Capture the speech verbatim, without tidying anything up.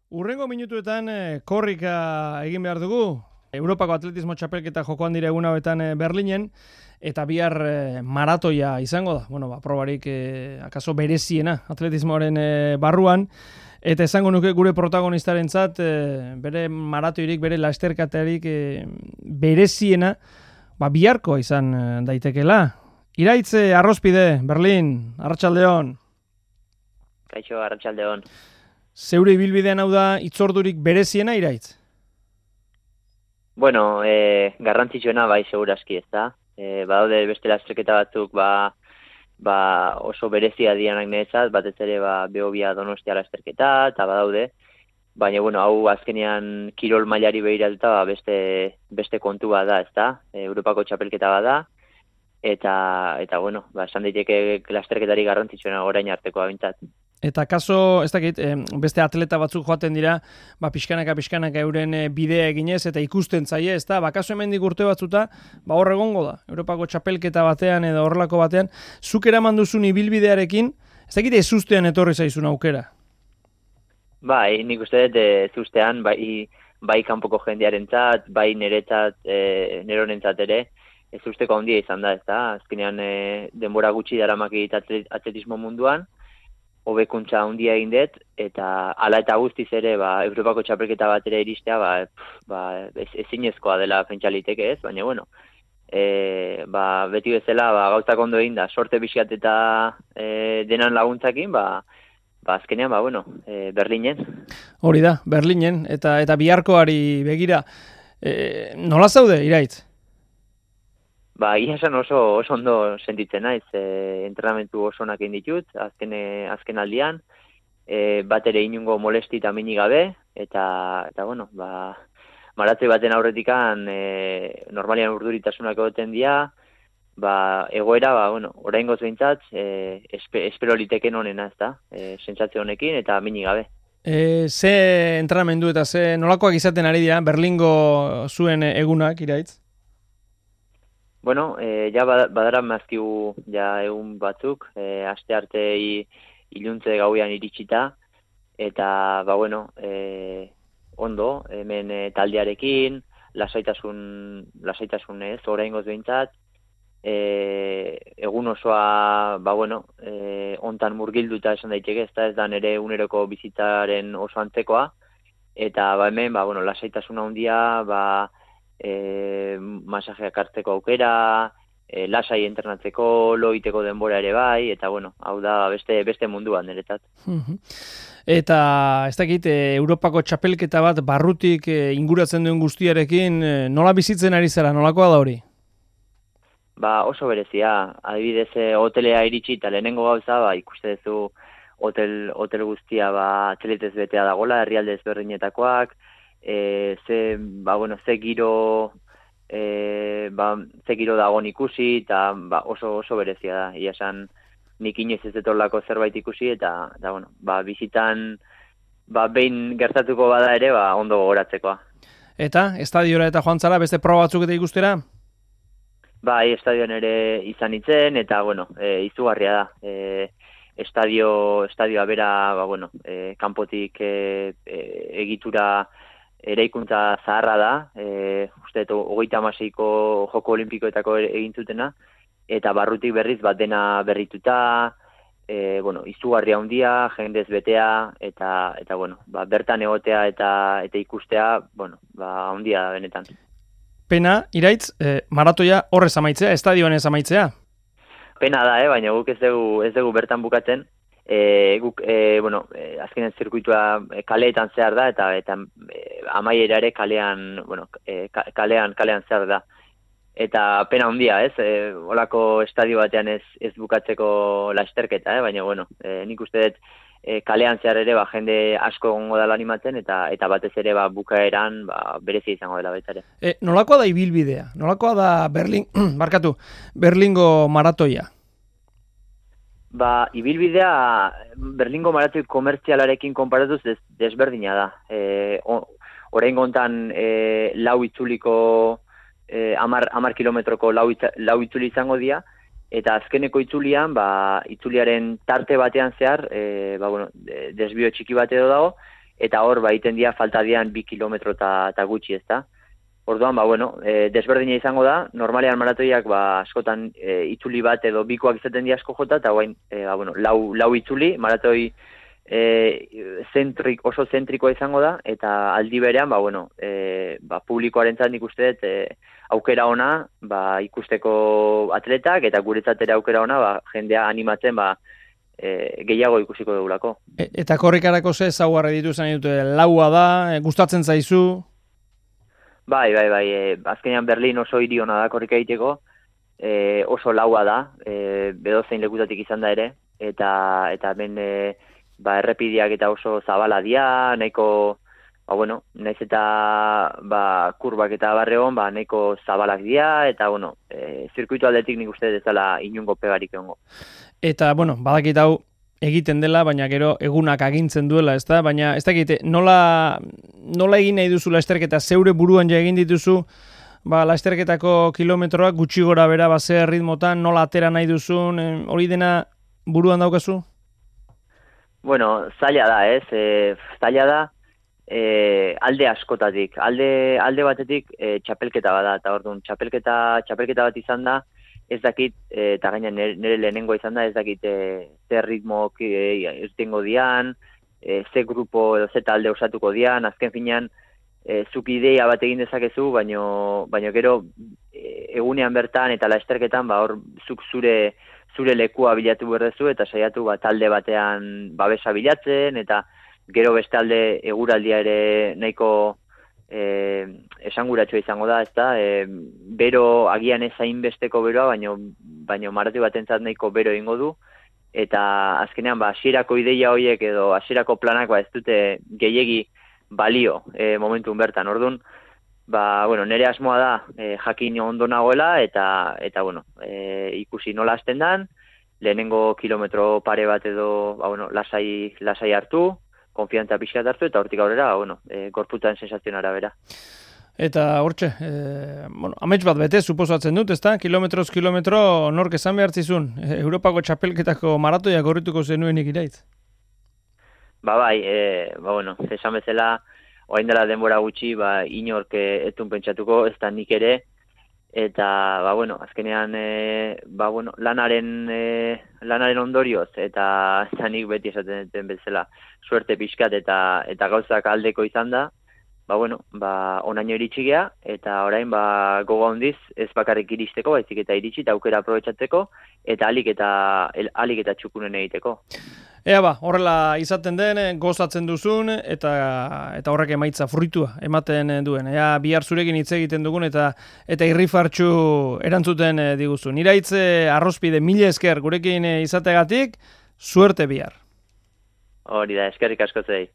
Urrengo minutuetan eh, korrika egin behar dugu. Europako atletismo txapelketa jokoan dira egun hauetan eh, Berlinen, eta bihar eh, maratoia izango da. Bueno, ba, probarik eh, akaso bereziena atletismoaren eh, barruan, eta esango nuke gure protagonistarentzat eh, bere maratoirik, bere lasterketarik eh, bereziena, ba, biharkoa izan eh, daitekela. Iraitz eh, Arrospide, Berlin, Arratsaldeon. Kaixo, Arratsaldeon. Zeure ibilbidean hau da itzordurik bereziena, Iraitz? Bueno, e, garrantzitsuena bai segurazki ez da. E, badaude beste lasterketa batzuk ba, ba oso berezia dianak niretzat, batez ere ba, Behobia Donostia lasterketa, eta badaude. Baina, bueno, hau azkenean kirol mailari behiratuta ba, beste, beste kontu bat da, ez da. E, Europako txapelketa bat da. Eta, eta bueno, ba, esan daiteke lasterketari garrantzitsuena orain arteko abintzat. Eta kaso, ez dakit, beste atleta batzuk joaten dira, ba, pixkanaka, pixkanaka euren bidea eginez, eta ikusten zaie, ez da, ba, kaso hemendik urte batzuta, ba, hor egongo da, Europako txapelketa batean edo horrelako batean, zuk eraman duzun ibilbidearekin, ez dakit ezustean etorri zaizun aukera? Bai, nik uste dut ezustean, bai, bai kanpoko jendearentzat, bai niretzat, e, neronentzat ere, ezusteko handia izan da, ez da, azkenean e, denbora gutxi daramak egit atletismo munduan, hobekuntza handia egin dut, eta hala eta guztiz ere, ba, Europako txapelketa bat ere iristea, ba, ba, ez, ezinezkoa dela pentsaliteke ez, baina, bueno, e, ba, beti bezala, ba, gauzak ondo egin da, sorte pixkat eta e, denan laguntzakin, ba, ba, azkenean, ba, bueno, e, Berlinen. Hori da, Berlinen, eta eta biharkoari begira, e, nola zaude, Iraitz? Ba, ia esan oso, oso ondo sentitzen naiz, e, entrenamentu oso onak egin ditut, azken, azken aldian, e, bat ere inungo molesti eta minik gabe, eta, eta bueno, ba, maratoi baten aurretikan e, normalian urduritasunak egoten dira, ba, egoera, ba, bueno, oraingoz behintzat, e, espe, espero liteken honena, ez da, e, sentsazio honekin eta minik gabe. E, ze entrenamendu eta ze nolakoak izaten ari dira, Berlingo zuen egunak, Iraitz? Bueno, eh, ja badara mazkigu ja egun batzuk, eh, aste arte iluntze gauean iritsita, eta, ba, bueno, eh, ondo, hemen eh, taldearekin, lasaitasun, lasaitasun ez, oraingoz behintzat, eh, egun osoa, ba, bueno, eh, ontan murgilduta esan daiteke, ez da ez da nire uneroko bizitzaren oso antzekoa, eta, ba, hemen, ba, bueno, lasaitasun handia, ba, E, masajeak hartzeko aukera, e, lasai entrenatzeko, loiteko denbora ere bai, eta bueno, hau da beste beste munduan niretzat. Eta ez dakit, Europako txapelketa bat barrutik e, inguratzen duen guztiarekin, e, nola bizitzen ari zara, nolakoa da hori? Ba, oso berezia, adibidez e, hotelea iritsi eta lehenengo gauza, ba, ikuste duzu hotel, hotel guztia ba, atletez betea dagola, herrialde ezberdinetakoak, E, ze, ba, bueno, ze giro e, ba, ze giro dagoen ikusi eta ba, oso oso berezia da, ia esan nik inoiz ez etorlako zerbait ikusi eta, eta bueno, ba, bizitan ba, behin gertatuko bada ere ba, ondo gogoratzekoa. Eta, estadiora eta joan zara, beste proba batzuk eta ikustera? Bai, estadioan ere izan itzen eta bueno, e, izugarria da. E, estadio, estadioa bera, ba, bueno, e, kanpotik e, e, egitura eraikuntza zaharra da, e, uste dut, hogeita hamaseiko joko olimpikoetako egin zutena, eta barrutik berriz bat dena berrituta, e, bueno, izugarria handia, jendez betea, eta, eta bueno, ba, bertan egotea eta eta ikustea, bueno, ba, handia da benetan. Pena, Iraitz, eh, maratoia horrez amaitzea, estadioan ez amaitzea? Pena da, eh, baina guk ez dugu, ez dugu bertan bukatzen, E, guk, e, bueno, e, azkenen zirkuitua kaleetan zehar da, eta eta e, amaiera ere kalean, bueno, e, kalean, kalean zehar da. Eta pena handia, ez? E, olako estadio batean ez, ez bukatzeko lasterketa, eh? Baina, bueno, e, nik uste dut e, kalean zehar ere, ba, jende asko egongo dela animatzen, eta eta batez ere, ba, bukaeran, ba, berezi izango dela baita ere. E, nolakoa da ibilbidea? Nolakoa da Berlin, barkatu, Berlingo maratoia? Ba, ibilbidea Berlingo maratoi komertzialarekin konparatuz des, desberdina da. E, Oraingo hontan e, lau itzuliko, e, amar, amar kilometroko lau, itza, lau itzuli izango dira, eta azkeneko itzulian, ba, itzuliaren tarte batean zehar, e, ba, bueno, desbio txiki bat edo dago, eta hor ba egiten dira falta dian bi kilometro eta gutxi, ezta. Orduan, ba, bueno, e, desberdina izango da, normalean maratoiak ba, askotan e, itzuli bat edo bikoak izaten dira asko jota, eta guain, e, ba, bueno, lau, lau itzuli, maratoi e, zentrik, oso zentrikoa izango da, eta aldi berean, ba, bueno, e, ba, publikoarentzat nik uste dut, e, aukera ona, ba, ikusteko atletak, eta guretzat ere aukera ona, ba, jendea animatzen, ba, e, gehiago ikusiko dugulako. E, eta korrikarako ze ezaugarri dituzten dute, laua da, e, gustatzen zaizu? Bai, bai, bai, e, azkenean Berlin oso hiri ona da korrika egiteko, e, oso laua da, e, bedozein lekutatik izan da ere, eta eta hemen e, ba, errepideak eta oso zabala dia, nahiko, ba, bueno, naiz eta ba, kurbak eta barreon, ba, nahiko zabalak dia, eta, bueno, e, zirkuitu aldetik nik uste dezala inungo pegarik egongo. Eta, bueno, badakit hau, egiten dela, baina gero egunak agintzen duela, ezta? Baina ez dakit, nola, nola egin nahi duzu lasterketa, zeure buruan ja egin dituzu, ba, lasterketako kilometroak gutxi gora bera, ba, zer ritmotan, nola atera nahi duzun, hori dena buruan daukazu? Bueno, zaila da, ez? E, zaila da, e, alde askotatik, alde, alde batetik e, txapelketa bada, eta orduan, txapelketa, txapelketa bat izan da, ez dakit, eta gaina nire lehenengo izan da, ez dakit e, ze ritmo irtengo dian, e, ze grupo edo ze talde osatuko dian, azken finean, e, zuk ideia bat egin dezakezu, baino, baino gero e, egunean bertan eta lasterketan, ba, hor zuk zure, zure lekua bilatu berdezu, eta saiatu ba, talde batean babesa bilatzen, eta gero bestalde eguraldia ere nahiko E, esanguratsua izango da, ezta? E, bero agian ez hainbesteko beroa, baino baino maratoi batentzat nahiko bero egingo du, eta azkenean ba hasierako ideia horiek edo hasierako planak ba ez dute gehiegi balio e, momentun bertan. Ordun, ba bueno, nere asmoa da e, jakin ondo nagoela eta eta bueno, e, ikusi nola hasten dan, lehenengo kilometro pare bat edo ba bueno, lasai lasai hartu, konfiantza pixka hartu, eta hortik aurrera, bueno, e, gorputzaren sensazionara bera. Eta hortxe, e, bueno, amets bat bete, suposatzen dut, ezta? Kilometroz kilometro nork esan behartzizun, e, Europako txapelketako maratoia gorrituko zenuenik iraitz? Ba bai, e, ba bueno, esan bezala, orain dela denbora gutxi, ba, inork etun pentsatuko, ez da nik ere, eta, ba bueno, azkenean, e, ba bueno, lanaren, e, lanaren ondorioz, eta zanik beti esaten duten bezala, suerte pixkat eta eta gauzak aldeko izan da, ba bueno, ba onaino iritsi gea, eta orain ba gogo handiz ez bakarrik iristeko, baizik eta iritsi eta aukera aprobetxatzeko, eta alik eta el, alik eta txukunen egiteko. Ea ba, horrela izaten den, gozatzen duzun, eta eta horrek emaitza fruitua ematen duen. Ea bihar zurekin hitz egiten dugun, eta eta irrifartxu erantzuten diguzun. Iraitze arrospide mila esker gurekin izategatik, suerte bihar. Hori da, eskerrik asko zei.